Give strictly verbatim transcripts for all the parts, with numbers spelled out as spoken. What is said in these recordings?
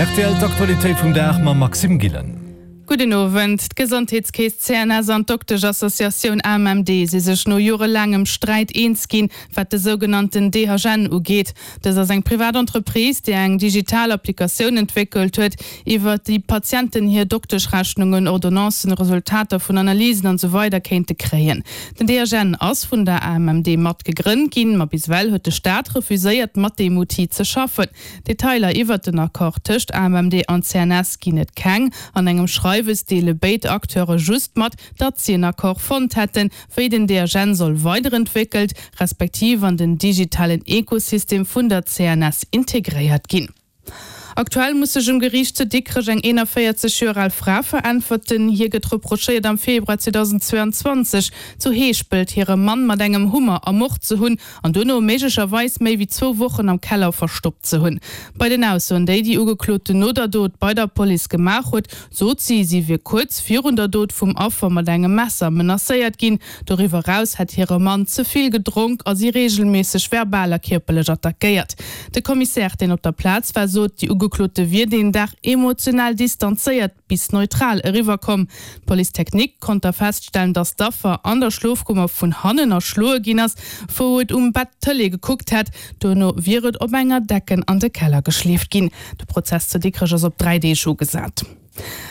Rtl d'Aktualitéit vum Dag mam Maxime Gillen. Gudden Owend. D'Gesondheetskeess C N S an d'Dokteschassociatioun A M M D si sech no jorelaangem Sträit eens ginn, wat de sougenannten D H N ugeet. Dës ass eng privat Entreprise, déi eng digital Applikatioun entwéckelt huet, iwwer déi Patienten hir Dokteschrechnungen, Ordonnancen, Resultater vun Analysen an esou weider kéinte kréien. Den D H N ass vun der A M M D mat gegrënnt ginn, ma bis ewell huet de Staat refuséiert, mat deem Outil ze schaffen. Detailer iwwert den Accord tëscht A M M D an C N S ginn et keng. An engem Schreiwes deele béid Acteure just mat, datt si en Accord fonnt hätten, wéi den D H N soll weiderentwéckelt, respektiv an den digitalen Ekosystem vun der C N S integréiert ginn. Aktuell muss sech um Geriicht zu Dikrech eng eenanvéierzeg Joer al Fra veräntwerten. Hir gëtt reprochéiert, am Februar zweedausendzweeanzwanzeg zu Heeschpelt hire Mann mat engem Hummer ermort ze hunn an duerno méiglecherweis méi wéi zwou Wochen am Keller verstoppt ze hunn. Bei den Aussoen, déi déi Ugekloten no der Dot bei der Police gemaach huet, sot si, si wier kuerz virun der Dot vum Affer mat engem Messer menacéiert ginn. Doriwwer eraus hätt hire Mann ze vill gedronk a si reegelméisseg verbal a kierperlech attackéiert. De Kommissär, deen op der Plaz war, sot, déi Ugeklote wier deen Dag emotional distanzéiert bis neutral eriwwerkomm. D'Police technique konnt da feststellen, datt d'Affer an der Schlofkummer vun hannen erschloe ginn ass, wou et um Bett Tëlee gekuckt hätt. Duerno wier et op enger Decken an de Keller geschleeft ginn. De Prozess zu Dikrech ass op dräi Deeg ugesat.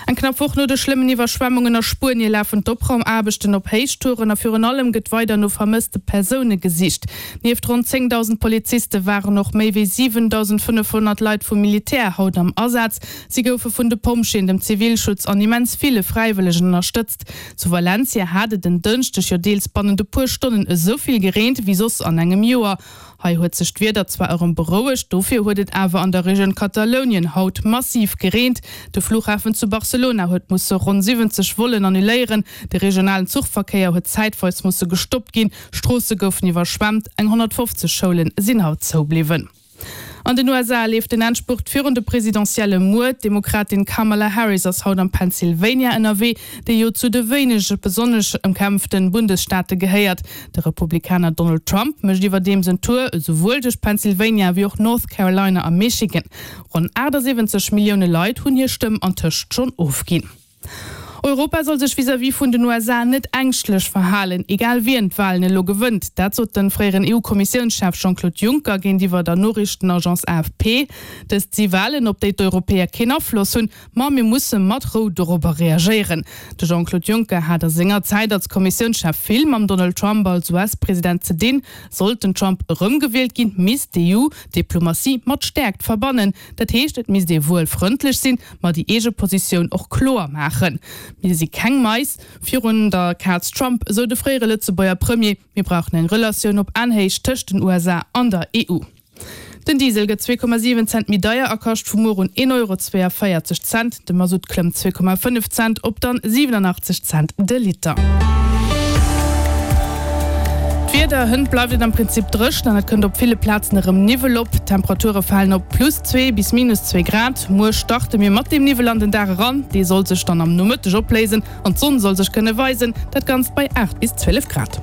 Eng knapp Woch no de schlëmmen Iwwerschwemmungen a Spuenie lafen d'Opraumaarbechten op Héichtouren a virun allem gëtt weider no vermësste Persoune gesicht. Nieft ronn zéngdausend Poliziste waren och méi wéi siwendausendfënnefhonnert Leit vum Militär haut am Asaz. Si goufe vun de Pompjeeën, dem Zivilschutz an immens ville Fräiwëllegen ënnerstëtzt. Zu Valencia hat et en Dënschdeg jo deels bannent e puer Stonnen esou vill gereent wéi soss an engem Joer. Hei huet sech d'Wieder zwar erëm berouegt, dofir huet et awer an der Regioun Katalounien haut massiv gereent. De Flughafen zu Barcelona huet musse ronn siwwenzeg Vollen annuléieren, de regionalen Zuchverkéier huet zäitweis musse gestoppt ginn, Stroosse goufen iwwerschwemmt, eng honnertfofzeg Schoule sinn haut zoubliwwen. An den U S A leeft den Endspurt virun de Presidentielle muer. D'Demokratin Kamala Harris ass haut am Pennsylvania ënnerwee, dee jo zu de wéinege besonnesch ëmkämpfte Bundesstaate gehéiert. De Republikaner Donald Trump mécht iwwerdeems en Tour esouwuel duerch Pennsylvania wéi och North Carolina a Michigan. Ronn achtasiwwenzeg Millioune Leit hunn hir Stëmm antëscht schonn ofginn. Europa soll sech vis-à-vis vun den U S A net ängschtlech verhalen, egal wien d'Walen elo gewënnt. Dat sot de fréieren E U-Kommissiounschef Jean-Claude Juncker géintiwwer der Noriichtenagence A F P. Dëst si Walen, op déi d'Europäer keen Afloss hunn, ma mir musse mat Rou dorobber reagéieren. De Jean-Claude Juncker hat a senger Zäit als Kommissiounschef vill mam Donald Trump als U S-President ze dinn. Sollt den Trump erëmgewielt ginn, misst d'E U Diplomatie mat Stäerkt verbannen. Dat heescht, et misst ee wuel frëndlech sinn, ma déi eege Positioun och kloer maachen. Mir si keng Mais virun der Kaz Trump, esou de fréiere Lëtzebuerger Premier. Mir brauchen eng Relatioun op Aenhéicht tëscht den U S A an der E U. Den Diesel gëtt zwee Komma siwen Cent méi deier a kascht vu muer un een Euro zweeënvéierzeg Cent. De Masutt klëmmt zwee Komma fënnef Cent op dann siwenanachtzeg Cent de Liter. D'Wieder, Hënt bleift et am Prinzip dréchen an et kënnt op ville Plazen erëm Niwwel op. D'Temperature falen op plus zwee bis minus zwee Grad. Muer starte mir mat deem Niwwel an den Dag eran, dee soll sech dann am Nomëtteg opléisen an d'Sonn soll sech kënne weisen. Dat Ganzt bei aacht bis zwielef Grad.